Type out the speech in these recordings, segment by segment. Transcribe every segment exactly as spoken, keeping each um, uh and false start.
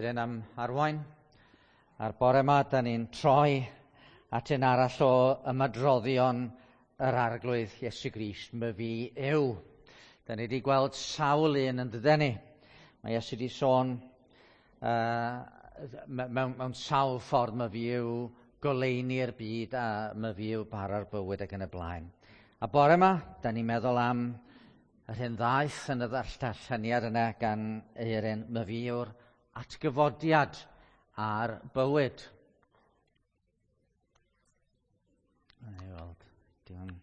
Wedyn am arwain. A'r bore yma, da ni'n troi at un arall o ymadroddion yr Arglwydd Iesu Grist, myfi yw. Da ni wedi gweld sawl un yn dydyn ni. Mae Iesu wedi sôn uh, mewn, mewn sawl ffordd myfi yw goleuni'r byd a myfi yw bara'r bywyd ac yn y blaen. A bore yma, da ni'n meddwl am yr hyn ddaeth yn y ddarlleniad yna gan Eirin, myfi yw'r atgyfodiad a'r bywyd. Na i weld. Diolch.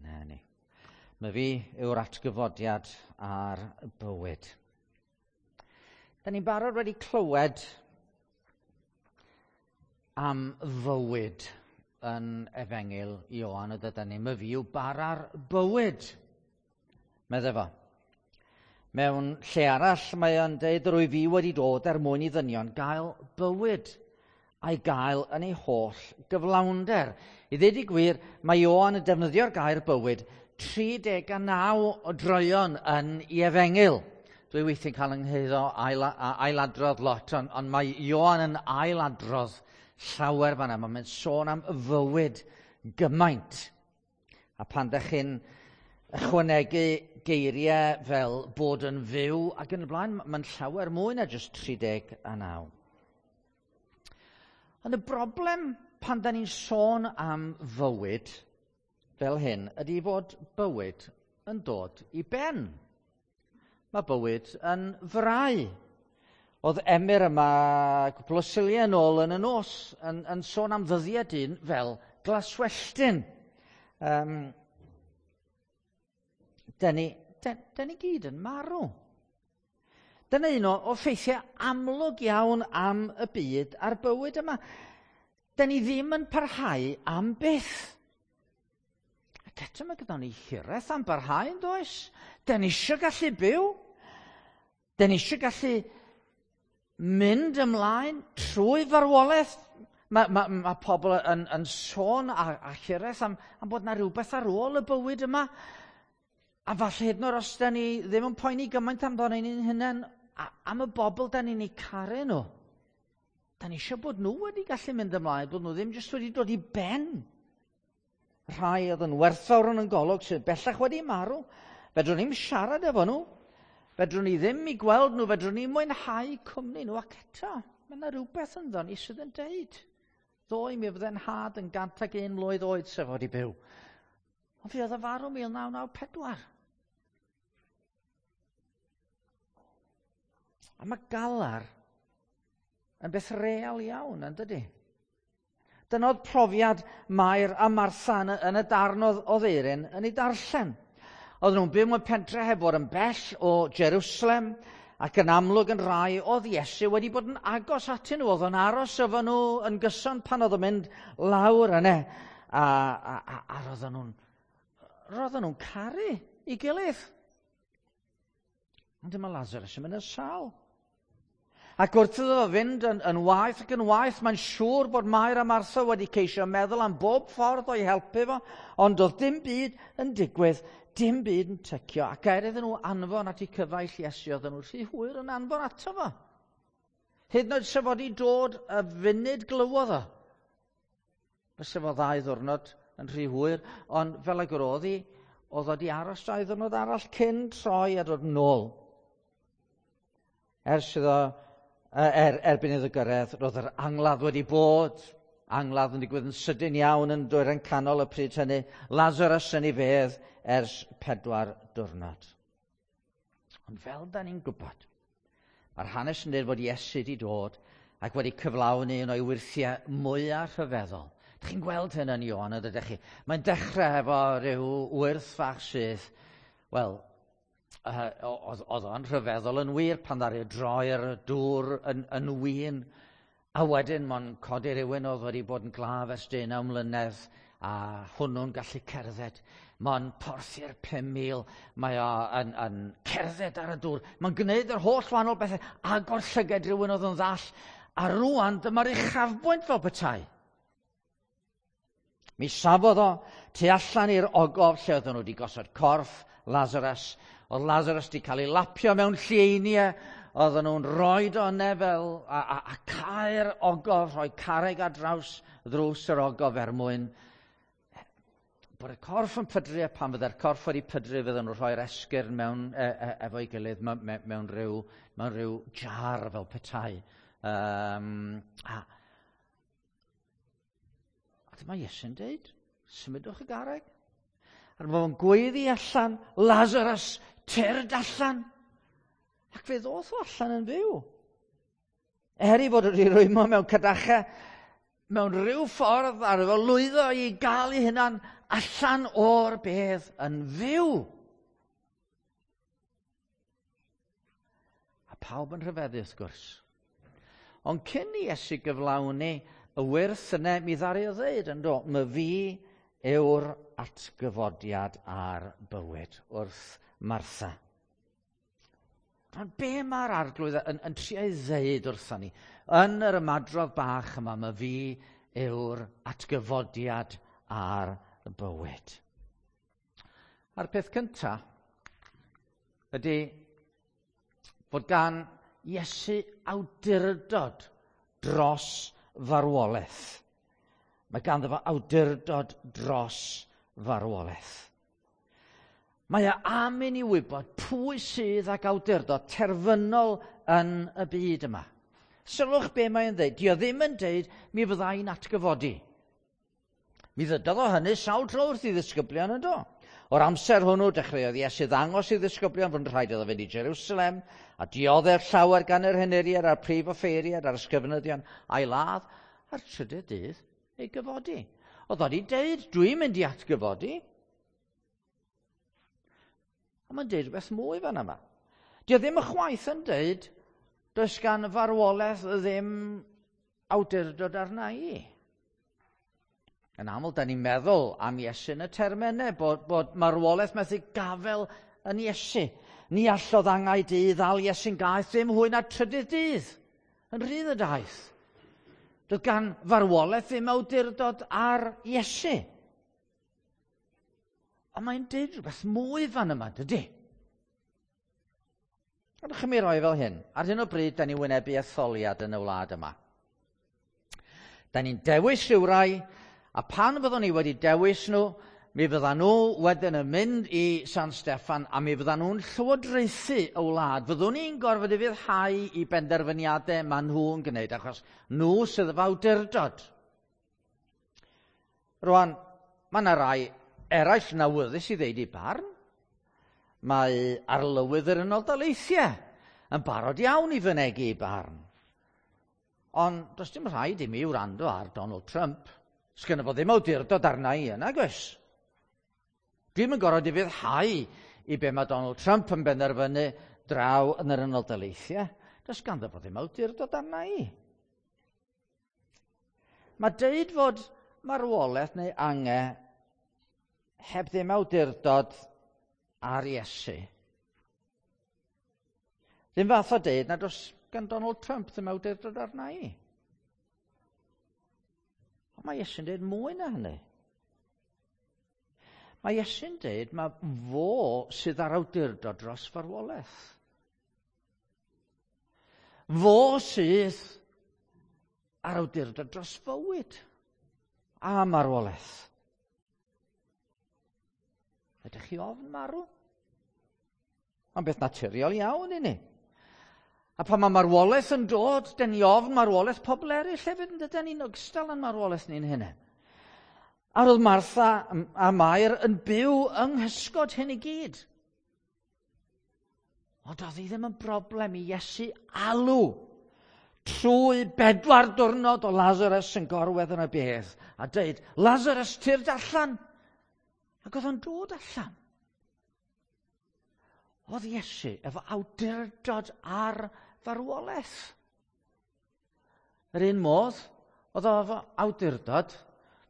Na ni. Myfi yw'r atgyfodiad a'r bywyd. Da ni'n barod wedi clywed am fywyd yn Efengyl Ioan y dydyn ni. Myfi yw bara'r bywyd, medde fo. Mewn lle arall mae o'n deud rwy fi wedi dod er mwyn i ddynion gael bywyd a'i gael yn ei holl gyflawnder. I ddweud i gwir, mae Ioan yn defnyddio'r gair bywyd tri deg a naw o droeon yn ei efengyl. Dwi weithiau'n cael yngheiddo ail, ailadrodd lot, ond, ond mae Ioan yn ailadrodd llawer fan'na. Mae'n sôn am fywyd gymaint. A pan dych chi'n ychwanegu geiriau fel bod yn fyw ac yn y blaen, mae'n llawer mwy na jyst tri deg a naw. Ond y broblem pan da ni'n sôn am fywyd fel hyn ydy fod bywyd yn dod i ben. Mae bywyd yn frau. Oedd Emyr yma cwpl o Suliau yn ôl yn y nos yn, yn sôn am ddyddiau dyn fel glaswelltyn. Um, Da ni, da, da ni gyd yn marw. Dyna un o, o ffeithiau amlwg iawn am y byd a'r bywyd yma. Da ni ddim yn parhau am byth. Ac eto mae gyda ni hiraeth am barhau, yn does? Da ni eisiau gallu byw. Da ni eisiau gallu mynd ymlaen trwy farwolaeth. Mae, mae, mae pobl yn, yn sôn a, a hiraeth am, am bod na rhywbeth ar ôl y bywyd yma. A falle hyd yn oed os da ni ddim yn poeni gymaint amdano ni'n hunain, am y bobl da ni'n eu caru nhw. Da ni eisiau bod nhw wedi gallu mynd ymlaen, bod nhw ddim jyst wedi dod i ben. Rhai oedd yn werthfawr yn y golwg sydd bellach wedi marw. Fedrwn ni'm siarad efo nhw. Fedrwn ni ddim i gweld nhw, fedrwn ni mwynhau cwmni nhw. Ac eto, mae yna rhywbeth ynddo ni sydd yn deud. Ddoe mi fydde'n nhad yn gant ag un mlwydd oed sef wedi byw. Ond fi oedd y farw mil naw naw pedwar. A mae galar yn beth real iawn, yn dydy? Dyna oedd profiad Mair a Martha yn y, yn y darn oedd, oedd Eirin yn ei darllen. Oedden nhw'n byw mewn pentre heb fod yn bell o Jerusalem, ac yn amlwg yn rai oedd Iesu wedi bod yn agos atyn nhw. Oedd o'n aros efo nhw yn gyson pan oedd o'n mynd lawr yna. A, a, a, a roedden nhw'n roedden nhw'n caru ei gilydd. Ond dyma Lazarus yn mynd yn sâl. Ac wrth iddo fo fynd yn, yn waeth ac yn waeth, mae'n siŵr bod Mair a Martha wedi ceisio meddwl am bob ffordd o'i helpu fo, ond doedd dim byd yn digwydd, dim byd yn tycio, ac er iddyn nhw anfon at eu cyfaill Iesu, oedden nhw rhy hwyr yn anfon ato fo. Hyd yn oed sef wedi dod y funud glywodd o. Fysa fo ddau ddiwrnod yn rhy hwyr, ond fel ag yr oedd hi, oedd wedi aros dau ddiwrnod arall cyn troi a dod nôl. Ers iddo, er, erbyn iddo gyrraedd, roedd yr angladd wedi bod, angladd yn digwydd yn sydyn iawn yn dwyrain canol y pryd hynny, Lazarus yn ei fedd ers pedwar diwrnod. Ond fel da ni'n gwybod, mae'r hanes yn dweud fod Iesu wedi dod ac wedi cyflawni un o'i wyrthiau mwyaf rhyfeddol. Dych chi'n gweld hyn yn Ioan, ydych chi? Mae'n dechrau efo rhyw wyrth fach sydd, wel, oedd o'n rhyfeddol yn wir pan ddaru droi'r dŵr yn, yn win. A wedyn mae'n codi rhywun oedd wedi bod yn glaf ers deunaw mlynedd a hwnnw'n gallu cerdded. Mae'n porthi'r pum mil, mae o yn, yn cerdded ar y dŵr. Mae'n gwneud yr holl wahanol bethau, agor llyged rhywun oedd yn ddall. A rŵan dyma'r uchafbwynt fel petai. Mi safodd o tu allan i'r ogof lle oedden nhw wedi gosod corff Lazarus. Oedd Lazarus wedi cael ei lapio mewn llieiniau, oedden nhw'n rhoi o yna fel a, a, a cau'r ogof, rhoi carreg ar draws ddrws yr ogof er mwyn bod y corff yn pydru, a pan fydde'r corff wedi pydru, fydden nhw'n rhoi'r esgyrn mewn, e, e, efo'i gilydd mewn, mewn, rhyw, mewn rhyw jar fel petai. Um, a, a dyma Iesu'n deud, symudwch y garreg. A dyma fo'n gweiddi allan, Lazarus, tyrd allan. Ac fe ddoth o allan yn fyw. Er ei fod wedi rwymo mewn cadachau, mewn rhyw ffordd ar efo lwyddo i gael ei hunan allan o'r bedd yn fyw. A pawb yn rhyfeddu wrth gwrs. Ond cyn i Iesu gyflawni y wyrth yna, mi ddaru o ddeud yn do, my fi yw'r atgyfodiad a'r bywyd wrth Martha. Ond be mae'r arglwydd yn, yn trio ei ddeud wrthon ni? Yn yr ymadrodd bach yma, mae fi yw'r atgyfodiad a'r bywyd. A'r peth cyntaf ydy fod gan Iesu awdurdod dros farwolaeth. Mae ganddo fo awdurdod dros farwolaeth. Mae e am i ni wybod pwy sydd ag awdurdod terfynol yn y byd yma. Sylwch be mae'n dweud. Dio ddim yn dweud mi fydda i'n atgyfodi. Mi ddydodd o hynny sawl tro wrth i ddisgyblion yn do. O'r amser hwnnw dechreuodd Iesu ddangos i ddisgyblion fod yn rhaid iddo fynd i Jerusalem a dioddef llawer gan yr henuriad a'r prif offeiriad a'r ysgrifenyddion a'i ladd a'r trydydd dydd ei gyfodi. Oedd o wedi deud, dwi'n mynd i atgyfodi. Ond mae'n deud rhywbeth mwy fan yma. Dio ddim ychwaith yn deud, does gan farwolaeth ddim awdurdod arna i. Yn aml, da ni'n meddwl am Iesu yn y termau, bod, bod marwolaeth methu gafel yn Iesu. Ni allodd angau dydd ddal Iesu'n gaeth ddim hwy na trydydd dydd. Yn rhydd y daith. Doedd gan farwolaeth ddim awdurdod ar Iesu. Ond mae'n deud rhywbeth mwy fan yma, dydy? Gadewch i mi roi fel hyn. Ar hyn o bryd, da ni'n wynebu etholiad yn y wlad yma. Da ni'n dewis rhywrai, a pan fyddwn ni wedi dewis nhw, mi fyddan nhw wedyn yn mynd i San Steffan, a mi fyddan nhw'n llywodraethu y wlad. Fyddwn ni'n gorfod ufuddhau i benderfyniadau maen nhw'n gwneud, achos nhw sydd efo awdurdod. Rwan, mae yna rai eraill yn awyddus i ddeud i barn. Mae arlywydd yr Unol Daleithiau yn barod iawn i fynegi i barn. Ond does dim rhaid i mi wrando ar Donald Trump. Sgynno fo ddim awdurdod arna i yna, gwrs. Dwi'm yn gorfod ufuddhau i be mae Donald Trump yn benderfynu draw yn yr Unol Daleithiau. Does ganddo fo ddim awdurdod arna i. Mae deud fod marwolaeth neu angau heb ddim awdurdod ar Iesu. Ddim fath o deud nad oes gan Donald Trump ddim awdurdod arna i. Ond mae Iesu'n deud mwy na hynny. Mae Iesu'n deud mae fo sydd ar awdurdod dros farwolaeth. Fo sydd ar awdurdod dros fywyd a marwolaeth. Ydych chi ofn marw? Mae'n beth naturiol iawn i ni. A pan mae marwolaeth yn dod, dyn ni ofn marwolaeth pobl eraill hefyd, yn dydyn ni'n ogystal yn marwolaeth ni'n hunain. A roedd Martha a Mair yn byw yng nghysgod hyn i gyd. Ond oedd hi ddim yn broblem i Iesu alw trwy bedwar diwrnod o Lazarus yn gorwedd yn y bedd a dweud, Lazarus, tyrd allan. Ac oedd o'n dod allan. Oedd Iesu efo awdurdod ar farwolaeth. Yr un modd, oedd o efo awdurdod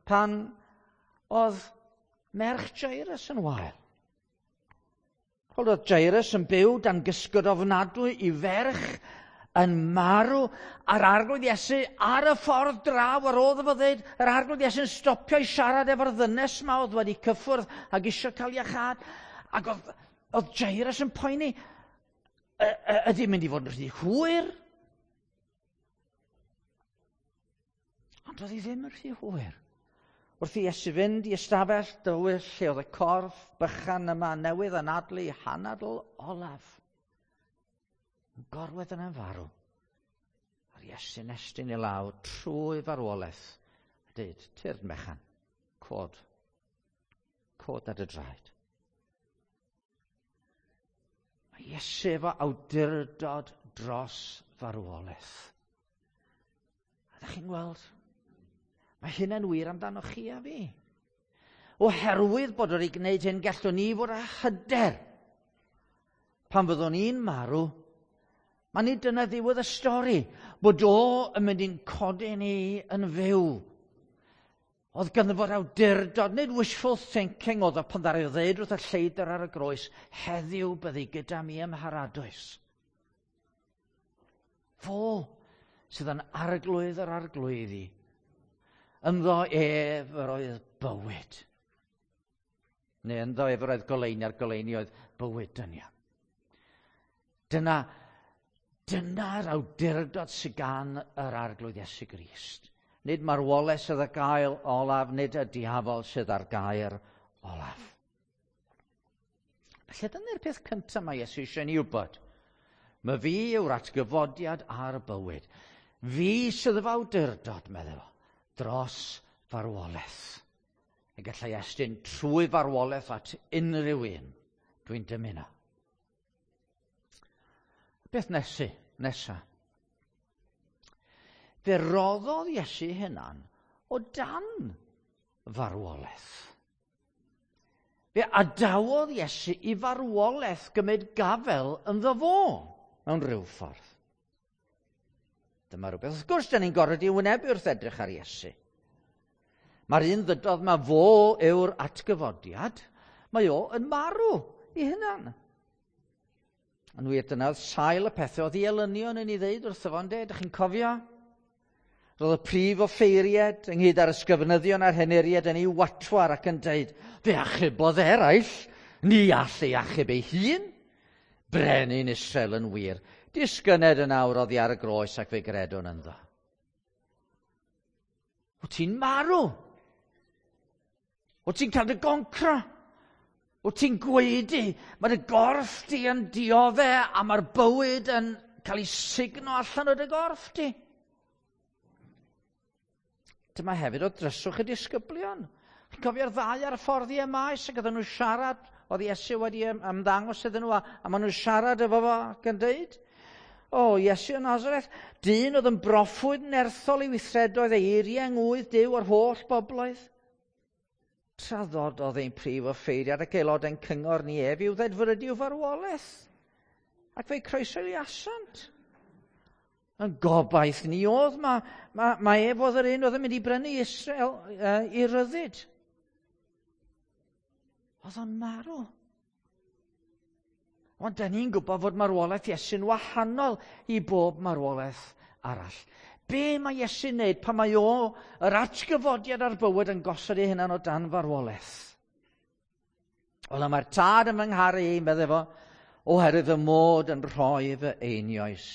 pan oedd merch Jairus yn wael. Oedd Jairus yn byw dan gysgod ofnadwy i ferch yn marw, a'r arglwydd Iesu ar y ffordd draw ar ôl iddo fo ddeud, yr arglwydd Iesu'n stopio i siarad efo'r ddynes ma oedd wedi cyffwrdd ac eisiau cael iachâd, ac oedd Oedd Jairus yn poeni, ydy mynd i fod yn rhy hwyr? Ond oedd hi ddim yn rhy hwyr. Wrth i Iesu fynd i ystafell dywyll lle oedd y corff bychan yma newydd anadlu hanadl olaf. Yn gorwedd yna'n farw. A'r Iesu'n estyn i lawr trwy farwolaeth. A dweud, tyrd mechan, cod. Cod ar dy draed. Mae Iesu efo awdurdod dros farwolaeth. A ydych chi'n gweld? Mae hynna'n wir amdano chi a fi. Oherwydd bod wedi gwneud hyn, gallwn ni fod â hyder. Pan fyddwn ni'n marw, mae nid dyna ddiwedd y stori, bod o yn mynd i'n codi ni yn fyw. Oedd ganddo fo'r awdurdod, nid wishful thinking oedd o pan ddaru o ddeud wrth y lleidr ar y groes, heddiw byddi gyda mi ym mharadwys. Fo sydd yn arglwydd yr arglwyddi. Ynddo ef yr oedd bywyd. Neu ynddo ef yr oedd goleuni, a'r goleuni oedd bywyd dynion. Dyna, dyna'r awdurdod sydd gan yr arglwydd Iesu Grist. Nid marwolaeth sydd ar gael olaf, nid y diafol sydd ar gair olaf. Felly dyna'r peth cyntaf mae Iesu eisiau ni wybod. Mae fi yw'r atgyfodiad a'r bywyd. Fi sydd efo awdurdod, meddai fo, dros farwolaeth. Y gallai estyn trwy farwolaeth at unrhyw un dwi'n dymuno. Beth nesi, nesa? Fe roddodd Iesu hunan o dan farwolaeth. Fe adawodd Iesu i farwolaeth gymryd gafel ynddo fo mewn rhyw ffordd. Dyma rhywbeth. Wrth gwrs, da ni'n gorfod i wynebu wrth edrych ar Iesu. Mae'r un ddydodd ma fo yw'r atgyfodiad, mae o yn marw i hunan. Yn wir, dyna oedd sail y pethau oedd i elynion yn ei ddeud wrtho fo, ynde? Dych chi'n cofio? Roedd y prif offeiriad ynghyd â'r ysgrifenyddion a'r henuriaid yn ei watwar ac yn deud, fe achubodd eraill, ni all ei achub ei hun. Brenin Israel yn wir, disgyned yn awr oddi ar y groes ac fe gredwn ynddo. Wyt ti'n marw? Wyt ti'n cael dy goncro? Wyt ti'n gwaedu? Mae dy gorff di yn diodde a mae'r bywyd yn cael ei sugno allan o dy gorff di. Dyma hefyd o dryswch y disgyblion. Chi'n cofio'r ddau ar y ffordd i Emaus ac oedden nhw'n siarad, oedd Iesu wedi ymddangos iddyn nhw a, a maen nhw'n siarad efo fo ac yn deud, o, Iesu o Nazareth, dyn oedd yn broffwyd nerthol i weithredoedd ei eiriau yng ngwydd Duw o'r holl bobloedd. Traddododd ein prif offeiriad ac aelodau'n cyngor ni ef i'w ddedfrydu i'w farwolaeth. Ac fe'i croeshoeliasant. Yn gobaith ni oedd, mae, ma, ma ef oedd yr un oedd yn mynd i brynu Israel uh, i ryddid. Oedd o'n marw. Ond da ni'n gwybod fod marwolaeth Iesu'n wahanol i bob marwolaeth arall. Be mae Iesu'n wneud pan mae o, yr atgyfodiad a'r bywyd, yn gosod ei hunan o dan farwolaeth? Wel, mae'r tad yn fy ngharu i, meddai fo, oherwydd fy mod yn rhoi fy einioes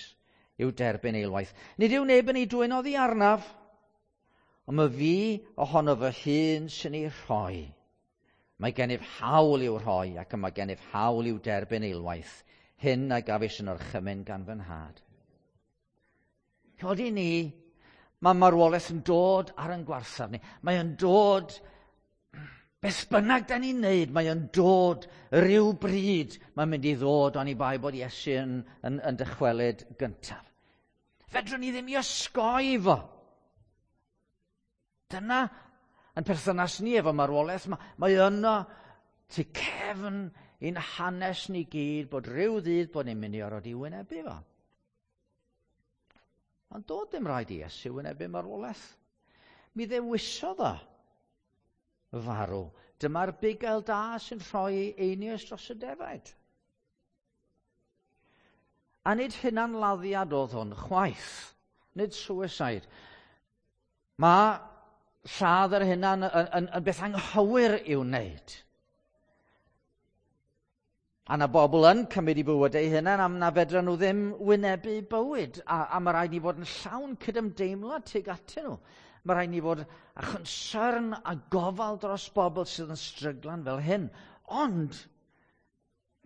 i'w derbyn eilwaith. Nid yw neb yn ei dwyn oddi arnaf, ond mae fi ohono fy hun sy'n ei rhoi. Mae gennyf hawl i'w rhoi ac mae gennyf hawl i'w derbyn eilwaith. Hyn a gafis yn orchymyn gan fy nhad. Codi ni, mae marwolaeth yn dod ar yn gwarthaf ni. Mae yn dod, beth bynnag da ni'n neud, mae yn dod rhyw bryd. Mae'n mynd i ddod oni bai bod Iesu yn, yn, yn dychwelyd gyntaf. Fedrwn ni ddim i osgoi fo. Dyna yn perthynas ni efo marwolaeth, mae, mae yno tu cefn i'n hanes ni gyd bod rhyw ddydd bod ni'n mynd i orfod i wynebu fo. Ond doedd dim rhaid i Iesu wynebu marwolaeth. Mi ddewisodd o farw. Dyma'r bugail da sy'n rhoi einioes dros y defaid. A nid hunanladdiad oedd hwn, chwaith. Nid suicide. Mae lladd yr hunan yn, yn, yn beth anghywir i'w wneud. A na bobl yn cymryd i bywyd eu hunain am na fedra nhw ddim wynebu bywyd. A, a mae rhaid ni fod yn llawn cydymdeimlad tuag atyn nhw. Mae rhaid ni fod â chonsern a gofal dros bobl sydd yn stryglan fel hyn. Ond,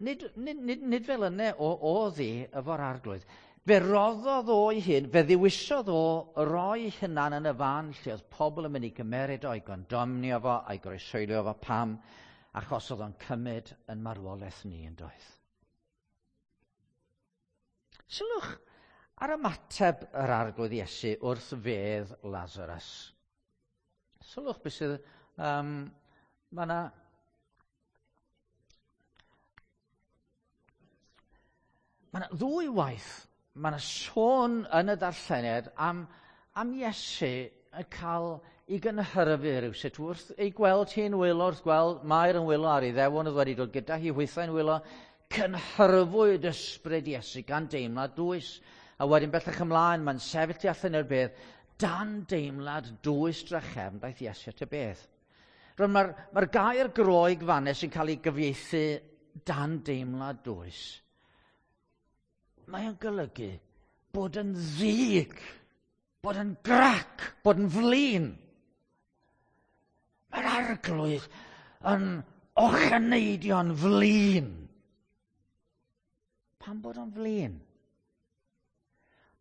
nid, nid, nid, nid fel yna o, oedd hi efo'r Arglwydd. Fe roddodd o'i hun, fe ddewisodd o roi hunan yn y fan lle oedd pobl yn mynd i gymeryd o, i gondomnio fo, a'i groeshoelio fo. Pam? Achos oedd o'n cymryd yn marwolaeth ni yn doedd. Sylwch ar ymateb yr Arglwydd Iesu wrth fedd Lazarus. Sylwch beth sydd... Um, mae yna... Mae yna ddwy waith, mae yna sôn yn y darlleniad am, am Iesu yn cael ei gynhyrfu rhywsut wrth ei gweld hi'n wylo, wrth gweld Mair yn wylo ar ei ddewon oedd wedi dod gyda hi hwythau'n wylo, cynhyrfwyd ysbryd Iesu gan deimlad dwys. A wedyn bellach ymlaen, mae'n sefyll tu allan i'r bedd, dan deimlad dwys drachefn daeth Iesu at y bedd. Rwan mae'r mae gair Groeg fanne sy'n cael ei gyfieithu dan deimlad dwys. Mae o'n golygu bod yn ddig, bod yn grac, bod yn flin. Mae'r Arglwydd yn ocheneidio'n flin. Pam bod o'n flin?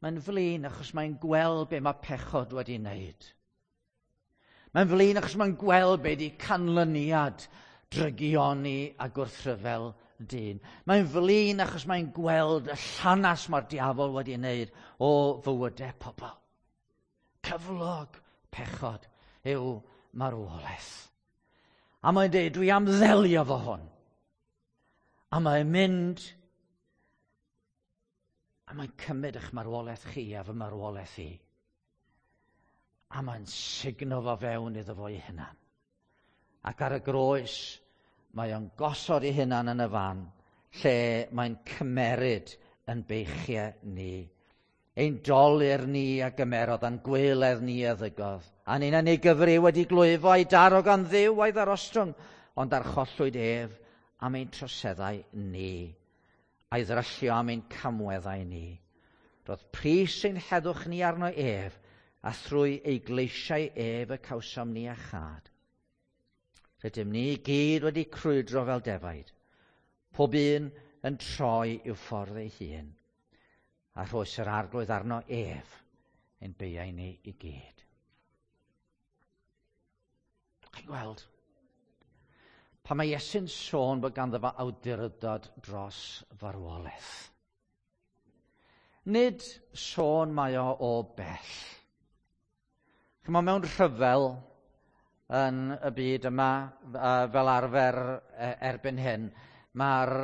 Mae'n flin achos mae'n gweld be mae pechod wedi wneud. Mae'n flin achos mae'n gweld be di canlyniad drygioni a gwrthryfel dyn. Mae'n flin achos mae'n gweld y llanas mae'r diafol wedi wneud o fywydau pobl. Cyflog pechod yw marwolaeth. A mae'n dweud, dwi am ddelio fo hwn. A mae'n mynd a mae'n cymryd eich marwolaeth chi a fy marwolaeth i. A mae'n sugno fo fewn iddo fo ei hunan. Ac ar y groes, mae o'n gosod ei hunan yn y fan lle mae'n cymeryd yn beichiau ni. Ein dolur ni a gymerodd, a'n gweledd ni a ddygodd. A ni'n ei gyfri wedi glwyfo a'i daro gan Dduw a'i ddarostrwng, ond archollwyd ef am ein troseddau ni, a'i ddryllio am ein camweddau ni. Roedd pris ein heddwch ni arno ef, a thrwy ei gleisiau ef y cawsom ni a chad. Rydym ni i gyd wedi crwydro fel defaid, pob un yn troi i'w ffordd ei hun, a rhoes yr Arglwydd arno ef ein beiau ni i gyd. Chi'n gweld? Pan mae Iesu'n sôn bod ganddo fo awdurdod dros farwolaeth. Nid sôn mae o o bell. Chymod, mewn rhyfel yn y byd yma, fel arfer erbyn hyn, mae'r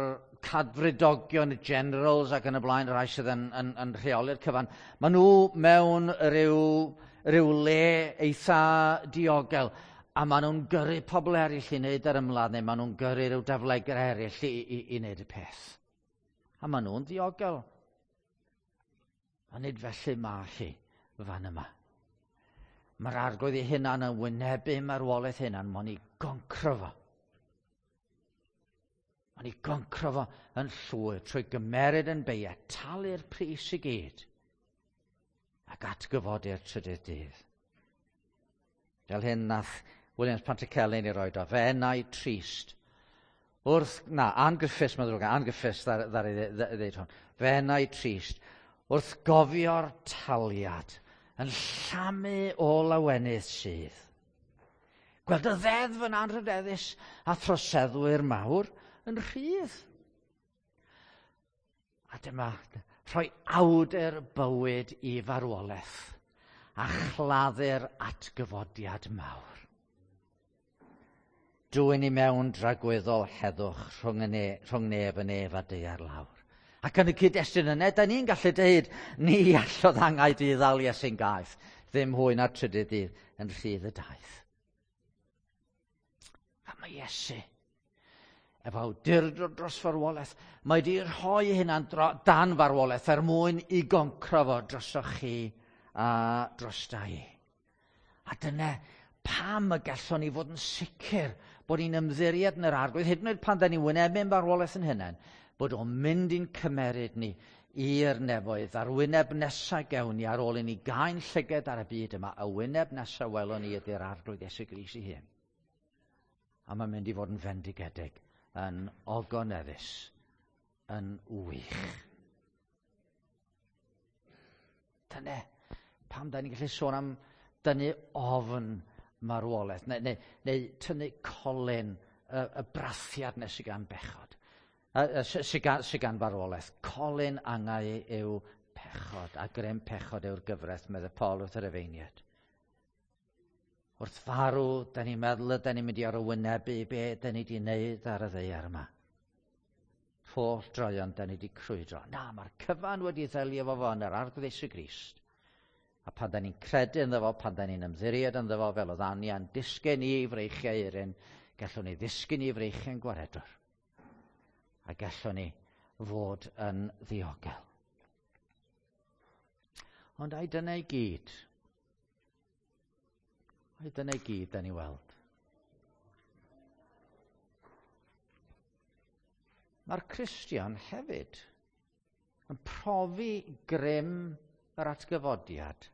cadfridogion, y generals ac yn y blaen, y rhai sydd yn, yn, yn rheoli'r cyfan, maen nhw mewn rhyw, rhyw le eitha diogel, a maen nhw'n gyrru pobl eraill i wneud yr ymladd, neu maen nhw'n gyrru rhyw daflegr eraill i, i, i wneud y peth. A maen nhw'n ddiogel. Ond nid felly mae hi fan yma. Mae'r Arglwydd ei hunan yn wynebu marwolaeth hunan, mae'n ei goncro fo. Mae'n ei goncro fo yn llwyr trwy gymeryd yn beiau, talu'r pris i gyd, ac atgyfodi'r trydydd dydd. Fel hyn nath Williams Pantycelyn i roed o, fe enau trist. Wrth, na, Ann Griffiths, mae'n ddrwg, Ann Griffiths ddaru ddeud hwn. Fe enau trist, wrth gofio'r taliad, yn llamu o lawenydd sydd. Gweld y ddeddf yn anrhydeddus a throseddwyr mawr yn rhydd. A dyma rhoi awdur bywyd i farwolaeth a chladdu'r atgyfodiad mawr. Dwyn i mewn dragwyddol heddwch rhwng, y ne, rhwng nef y nef a daear lawr. Ac yn y cyd-destun yna, da ni'n gallu deud, ni allodd angau di ddal Iesu'n gaeth, ddim hwy na'r trydydd dydd yn rhydd y daith. A mae Iesu, efo awdurdod dros farwolaeth, mae di rhoi hynna'n dan farwolaeth er mwyn i goncro fo drosoch chi a drosta i. A dyna pam y gallwn ni fod yn sicr bod ni'n ymddiried yn yr Arglwydd, hyd yn oed pan da ni'n wynebu'n barwolaeth yn hunain, bod o'n mynd i'n cymeryd ni i'r nefoedd, a'r wyneb nesaf gewn ni ar ôl i ni gael llyged ar y byd yma, y wyneb nesaf welwn ni ydy'r Arglwydd Iesu Grist ei hun. A mae'n mynd i fod yn fendigedig, yn ogoneddus, yn wych. Dyna pam da ni'n gallu sôn am dynnu ofn marwolaeth, neu, neu, neu tynnu colyn y, y brathiad nes i gan bechod. Sydd gan, sy gan farwolaeth. Colyn angau yw pechod, a grym pechod yw'r gyfraith, meddai Paul wrth yr Efeiniad. Wrth farw, da ni'n meddwl y da ni'n mynd i arwynebu be da ni wedi wneud ar y ddaear yma. Holl droion da ni wedi crwydro. Na, mae'r cyfan wedi ddelio fo fo yn yr Arglwydd Iesu Grist. A pan da ni'n credu ynddo fo, pan da ni'n ymddiried ynddo fo, fel oedd Anian disgyn i freichiau Eirin, gallwn ni ddisgyn i freichiau'n gwaredwr. A gallwn ni fod yn ddiogel. Ond ai dyna i gyd? Ai dyna i gyd da ni weld? Mae'r Cristion hefyd yn profi grym yr atgyfodiad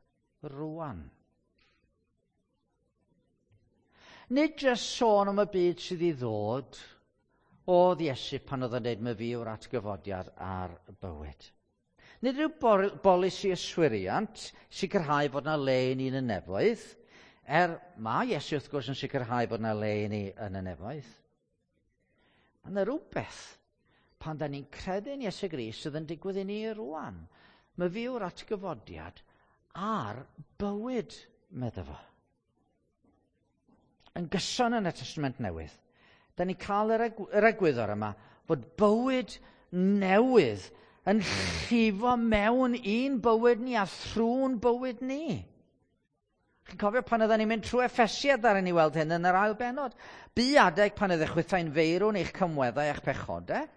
rwan. Nid jyst sôn am y byd sydd i ddod oedd Iesu pan oedd yn dweud my fi yw'r atgyfodiad a'r bywyd. Nid rhyw bolisi yswiriant sicrhau fod yna le i ni yn y nefoedd, er mae Iesu wrth gwrs yn sicrhau fod yna le i ni yn y nefoedd. Mae yna rhywbeth pan da ni'n credu yn Iesu Grist sydd yn digwydd i ni rwan. Mae fi yw'r atgyfodiad a'r bywyd, medda fo. Yn gyson yn y Testament Newydd, da ni'n cael yr, egw yr egwyddor yma fod bywyd newydd yn llifo mewn i'n bywyd ni a thrwy'n bywyd ni. Chi'n cofio pan oedden ni'n mynd trwy Effesiad ar ni weld hyn yn yr ail bennod. Bu adeg pan oeddech chwithau'n feirw yn eich cymweddau a'ch pechodau.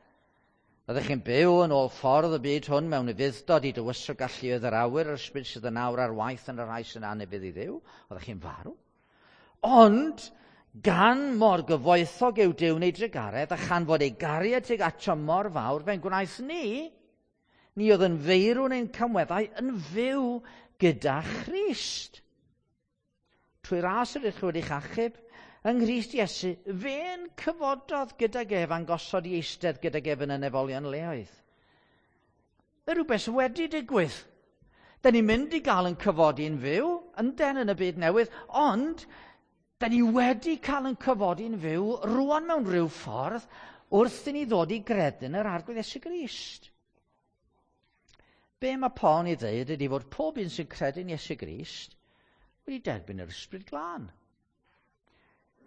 Oeddech chi'n byw yn ôl ffordd y byd hwn mewn ufudd-dod i dywysog galluoedd yr awyr, yr ysbryd sydd yn awr ar waith yn y rhai sy'n anufudd i Dduw. Oeddech chi'n farw. Ond gan mor gyfoethog yw Duw neu drugaredd, a chan fod ei gariad tuag ato mor fawr, fe'n gwnaeth ni, ni oedd yn feirw neu'n camweddau, yn fyw gyda Christ. Trwy ras yr ydych chi wedi'ch achub, yng Nghrist Iesu, fe'n cyfododd gydag ef a'n gosod i eistedd gydag ef yn y nefolion leoedd. Mae rhywbeth wedi digwydd. Da ni'n mynd i gael yn cyfodi'n fyw, ynden yn y byd newydd, ond da ni wedi cael yn cyfodi'n fyw rwan mewn rhyw ffordd wrth i ni ddod i gredu yn yr Arglwydd Iesu Grist. Be mae Paul yn ei ddeud ydy fod pob un sy'n credu yn Iesu Grist wedi derbyn yr Ysbryd Glân.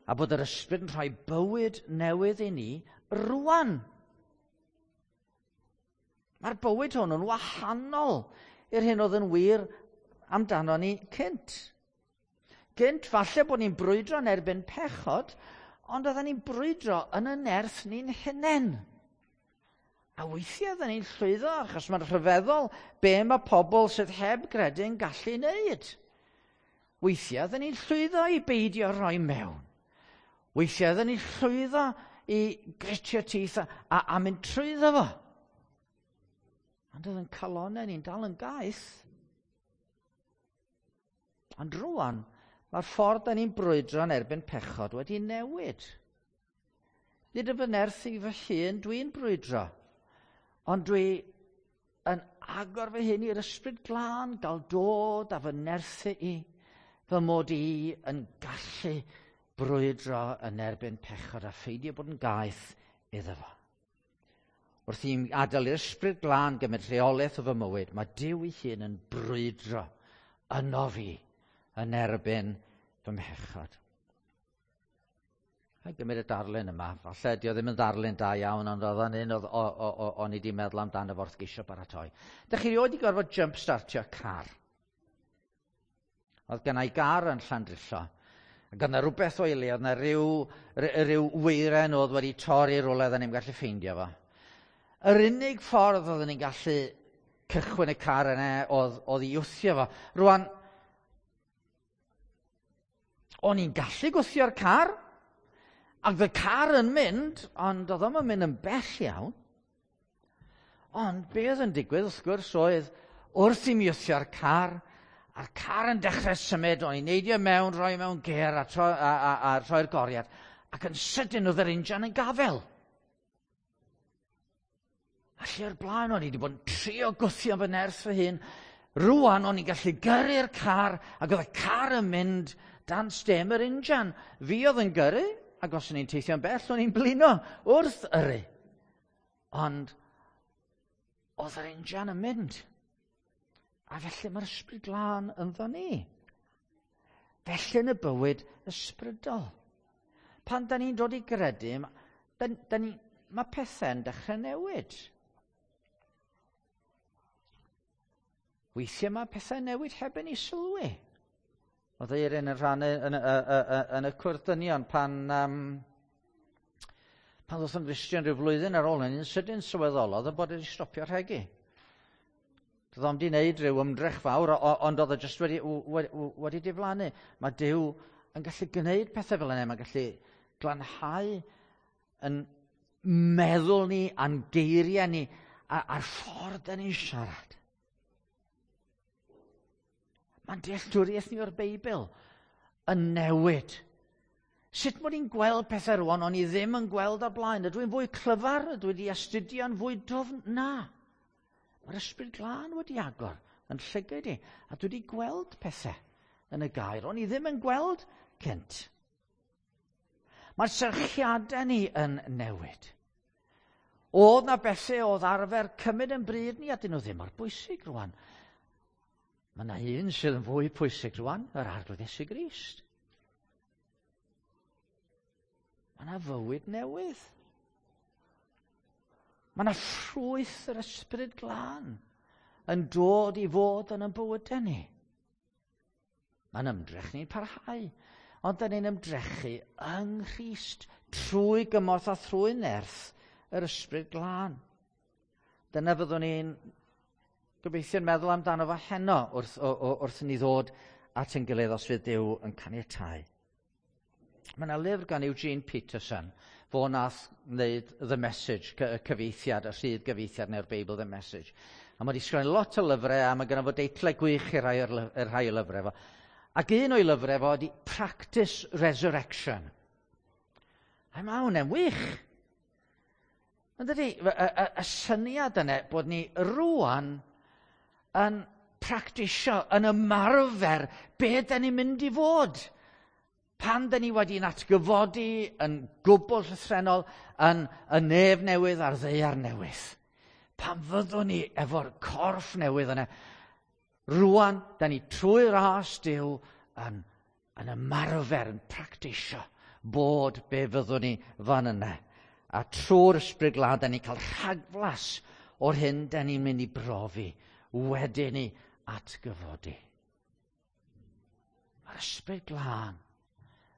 A bod yr Ysbryd yn rhoi bywyd newydd i ni rwan. Mae'r bywyd hwn yn wahanol i'r hyn oedd yn wir amdano ni cynt. Gynt, falle bod ni'n brwydro yn erbyn pechod, ond oedden ni'n brwydro yn y nerth ni'n hunain. A weithiau oedden ni'n llwyddo, achos mae'n rhyfeddol be mae pobl sydd heb gredu yn gallu wneud. Weithiau oedden ni'n llwyddo i beidio rhoi mewn. Weithiau oedden ni'n llwyddo i gritio teeth a, a, a mynd trwyddo fo. Ond oedd yn calonau ni'n dal yn gaeth. Ond rwan, mae'r ffordd da ni'n brwydro yn erbyn pechod wedi newid. Nid yn fy nerth i fy hun dwi'n brwydro, ond dwi yn agor fy hun i'r Ysbryd Glân, gael dod a fy nerthu i, fy mod i yn gallu brwydro yn erbyn pechod a pheidio bod yn gaeth iddo fo. Wrth i mi adael i'r Ysbryd Glân gymryd rheolaeth o fy mywyd, mae Duw ei hun yn brwydro yno fi yn erbyn fy mhechod. A gymryd y darlun yma, falle di o ddim yn ddarlun da iawn, ond oedd o'n un oedd o'n i wedi meddwl amdano fo wrth geisio baratoi. Dych chi rioed wedi gorfod jump-startio car? Oedd gen i gar yn Llandrillo. Ac oedd 'na rhywbeth o'i le, oedd 'na ryw, ryw weiren oedd wedi torri rhywle oedden ni'n gallu ffeindio fo. Yr unig ffordd oedden ni'n gallu cychwyn y car yna oedd, oedd i wthio fo. Rwan, o'n i'n gallu gwthio'r car, Ac y car yn mynd, ond oedd o'm yn mynd yn bell iawn. Ond be oedd yn digwydd, wrth gwrs, oedd wrth i mi wthio'r car, a'r car yn dechrau symud, o'n i'n neidio mewn, rhoi mewn gêr a, tro, a, a, a rhoi'r goriad, ac yn sydyn oedd yr injan yn gafel. A lle o'r blaen o'n i wedi bod yn trio gwthio fy nerth fy hun, rwan o'n i'n gallu gyrru'r car, ac oedd y car yn mynd dan stem yr injan. Fi oedd yn gyrru, ac os o'n i'n teithio'n bell, o'n i'n blino wrth yrru. Ond oedd yr injan yn mynd. A felly mae'r Ysbryd Glân ynddo ni. Felly yn y bywyd ysbrydol. Pan da ni'n dod i gredu, da, da ni, mae pethau'n dechrau newid. Weithiau mae pethau'n newid heb i ni sylwi. Oedd Eirin yn rhan yn, yn, yn, yn y cwrdd dynion pan, um, pan ddoth yn Gristion rhyw flwyddyn ar ôl hynny, yn sydyn sylweddolodd y bod wedi stopio rhegi. Doedd o'm 'di wneud rhyw ymdrech fawr, ond oedd o jyst wedi, wedi, wedi diflannu. Mae Duw yn gallu gwneud pethau fel yna, mae'n gallu glanhau yn meddwl ni, a'n geiriau ni, a'r ffordd da ni'n siarad. Mae'n dealltwriaeth ni o'r Beibl yn newid. Sut mod i'n gweld pethau rwan, o'n i ddim yn gweld o'r blaen. Ydw i'n fwy clyfar? Ydw i wedi astudio'n fwy dwfn? Na. Mae'r Ysbryd Glân wedi agor yn llygaid i, a dwi wedi gweld pethau yn y gair. O'n i ddim yn gweld cynt. Mae'r serchiadau ni yn newid. Oedd na bethau oedd arfer cymryd yn bryd ni, a dyn nhw ddim mor bwysig rwan. Mae yna un sydd yn fwy pwysig rwan, yr Arglwydd Iesu Grist. Mae yna fywyd newydd. Mae yna ffrwyth yr Ysbryd Glân yn dod i fod yn ein bywydau ni. Mae'n ymdrech ni'n parhau, ond da ni'n ymdrechu yng Nghrist trwy gymorth a thrwy nerth yr Ysbryd Glân. Dyna fyddwn ni'n gobeithio'n meddwl amdano fo heno wrth, o, o, wrth i ni ddod at ein gilydd os fydd Duw yn caniatáu. Mae yna lyfr gan Eugene Peterson, fo nath wneud The Message, y cyfieithiad, y rhydd gyfieithiad neu'r Beibl The Message. A mae wedi sgwennu lot o lyfrau, a mae gynno fo deitlau gwych i rai o'r, rhai o lyfrau fo. Ac un o'i lyfrau fo ydi Practice Resurrection. A mae hwnna'n wych. Ond dydy, y, y, y syniad yna bod ni rwan yn practisio, yn ymarfer be da ni'n mynd i fod. Pan da ni wedi'n atgyfodi yn gwbl llythrennol yn y nef newydd a'r ddaear newydd. Pan fyddwn ni efo'r corff newydd yna, rwan da ni trwy ras Duw yn, yn ymarfer, yn practisio bod be fyddwn ni fan yna. A trwy'r Ysbryd Glân da ni'n cael rhagflas o'r hyn da ni'n mynd i brofi wedyn ni atgyfodi. Mae'r Ysbryd Glân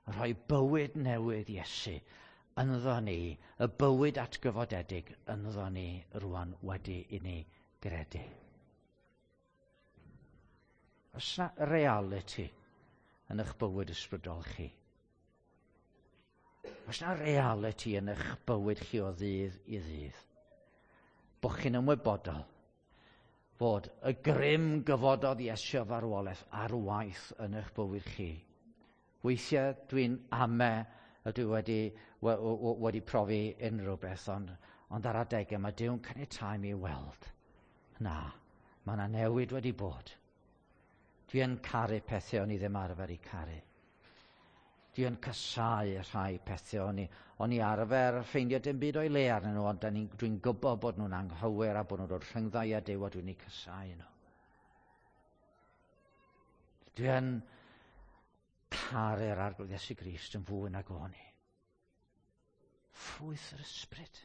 yn rhoi bywyd newydd Iesu ynddo ni, y bywyd atgyfodedig ynddo ni rwan wedi i ni gredu. Oes yna reality yn eich bywyd ysbrydol chi? Oes yna reality yn eich bywyd chi o ddydd i ddydd? Bo chi'n ymwybodol fod y grym gyfododd Iesu o farwolaeth ar waith yn eich bywyd chi. Weithiau dwi'n ame y dwi wedi, wedi profi unrhyw beth, ond, ond ar adegau mae Duw'n caniatáu mi weld. Na, mae yna newid wedi bod. Dwi yn caru pethau o'n i ddim arfer i caru. Dwi yn casáu rhai pethau o'n i, o'n i arfer ffeindio dim byd o'i le arnyn nhw, ond dwi'n gwybod bod nhw'n anghywir a bod nhw'n dod rhyngddau a Duw a dwi'n eu casáu nhw. Dwi yn caru'r Arglwydd Iesu Grist yn fwy nag o'n i. Ffrwyth yr Ysbryd.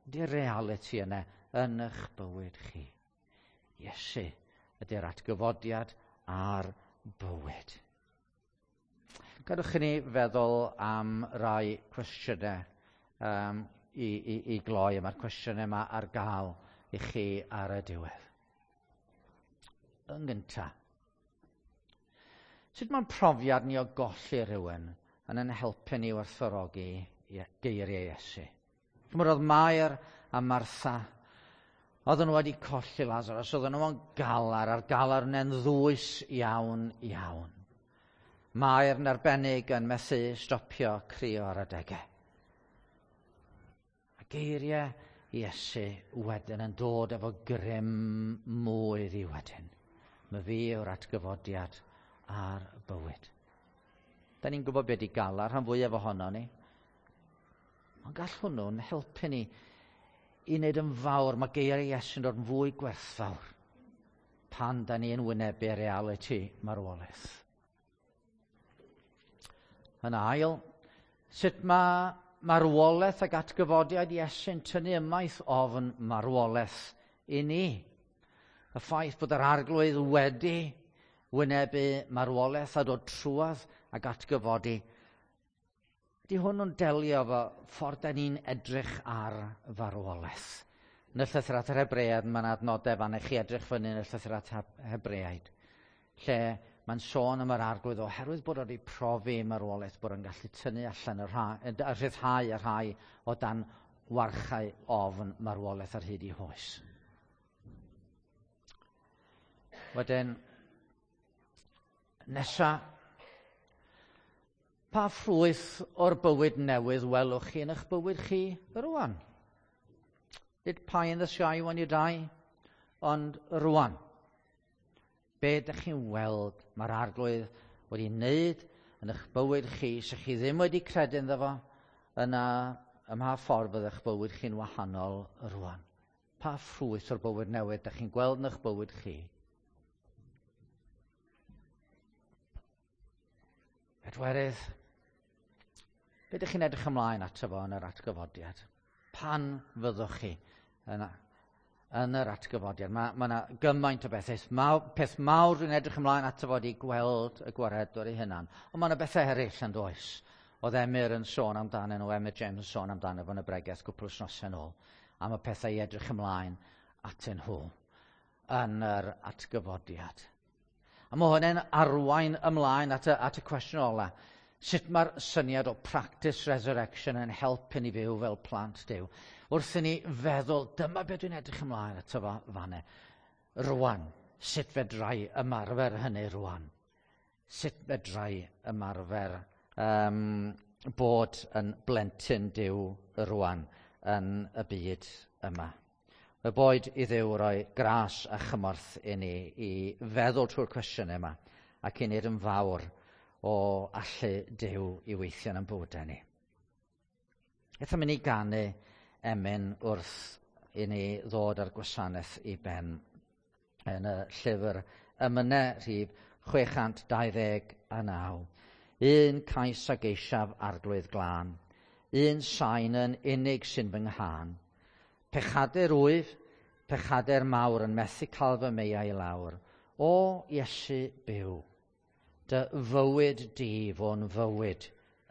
Ydy'r reality yna yn eich bywyd chi. Iesu ydy'r atgyfodiad a'r bywyd. Gadwch i ni feddwl am rai cwestiynau um, i, i, i gloi. Mae'r cwestiynau yma ar gael i chi ar y diwedd. Yn gyntaf, sut mae'n profiad ni o golli rhywun yn yn helpu ni werthfawrogi geiriau Iesu. Chymod, oedd Mair a Martha, oedden nhw wedi colli Lazarus, oedden nhw'n galar, a'r galar yna'n ddwys iawn, iawn. Mair yn arbennig yn methu stopio crio ar adegau. A geiriau Iesu wedyn yn dod efo grym mwy iddi wedyn. Mae fi yw'r atgyfodiad a'r bywyd. Da ni'n gwybod beth i galar, rhan fwyaf ohono ni. Ond gall hwnnw'n helpu ni i wneud yn fawr. Mae geiriau Iesu'n dod yn fwy gwerthfawr pan da ni'n wynebu realiti marwolaeth. Yn ail, sut mae marwolaeth ac atgyfodiad Iesu'n tynnu ymaith ofn marwolaeth i ni? Y ffaith bod yr Arglwydd wedi wynebu marwolaeth a dod trwadd ac atgyfodi. Ydy hwn yn delio efo ffordd da ni'n edrych ar farwolaeth? Yn y llythyr at yr Hebreaid, mae'n adnodau fan i chi edrych fyny yn y llythyr at Hebreaid, lle mae'n sôn am yr Arglwydd oherwydd bod wedi profi marwolaeth, bod o'n gallu tynnu allan y rhai, a rhyddhau y rhai o dan warchau ofn marwolaeth ar hyd i hoes. Wedyn, nesa, pa ffrwyth o'r bywyd newydd welwch chi yn eich bywyd chi rwan? Nid pie in the sky when you die, ond rwan. Be ydych chi'n weld mae'r Arglwydd wedi wneud yn eich bywyd chi, sy'ch chi ddim wedi credu ynddo fo, yna ym mha ffordd fydd eich bywyd chi'n wahanol rwan? Pa ffrwyth o'r bywyd newydd ydych chi'n gweld yn eich bywyd chi? Pedwerydd, be ydych chi'n edrych ymlaen ato fo yn yr atgyfodiad? Pan fyddwch chi yn, yn yr atgyfodiad? Mae yna ma gymaint o bethau. Ma, peth mawr dwi'n edrych ymlaen ato fo ydi gweld y gwaredwr ei hunan. Ond mae yna bethau eraill yn does. Oedd Emyr yn sôn amdano nhw, Emyr James yn sôn amdano fo yn y bregeth gwpl wythnosau yn ôl, am y pethau i edrych ymlaen atyn nhw yn yr atgyfodiad. A mae hwnna'n arwain ymlaen at y, at y cwestiwn ola. Sut mae'r syniad o practice resurrection yn helpu ni fyw fel plant Duw? Wrth i ni feddwl, dyma beth dwi'n edrych ymlaen ato fo fanne. Rwan, sut fedrai ymarfer hynny rwan? Sut fedrai ymarfer um, bod yn blentyn Duw rwan yn y byd yma? Y boed i Dduw roi gras a chymorth i ni i feddwl trwy'r cwestiynau yma ac i wneud yn fawr o allu Duw i weithio yn bywydau ni. Aethom ni ganu emyn wrth i ni ddod â'r gwasanaeth i ben yn y llyfr Emynau rhif chwe chant dau ddeg a naw. Un cais a geisiaf Arglwydd glân, un sain yn unig sy'n fy nghân. Pechadur wyf, pechadur mawr yn methu cael fy meiau i lawr. O Iesu byw, dy fywyd di fo'n fywyd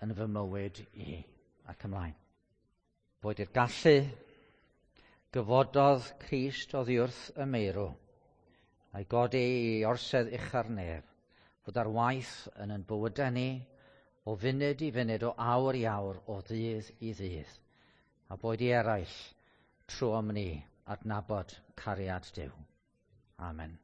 yn fy mywyd i. Ac ymlaen. Boed i'r gallu, gyfododd Crist oddi wrth y meirw, a'i godi i orsedd ucha'r nef, fod ar waith yn ein bywydau ni, o funud i funud, o awr i awr, o ddydd i ddydd, a boed i eraill trwom ni adnabod cariad Duw. Amen.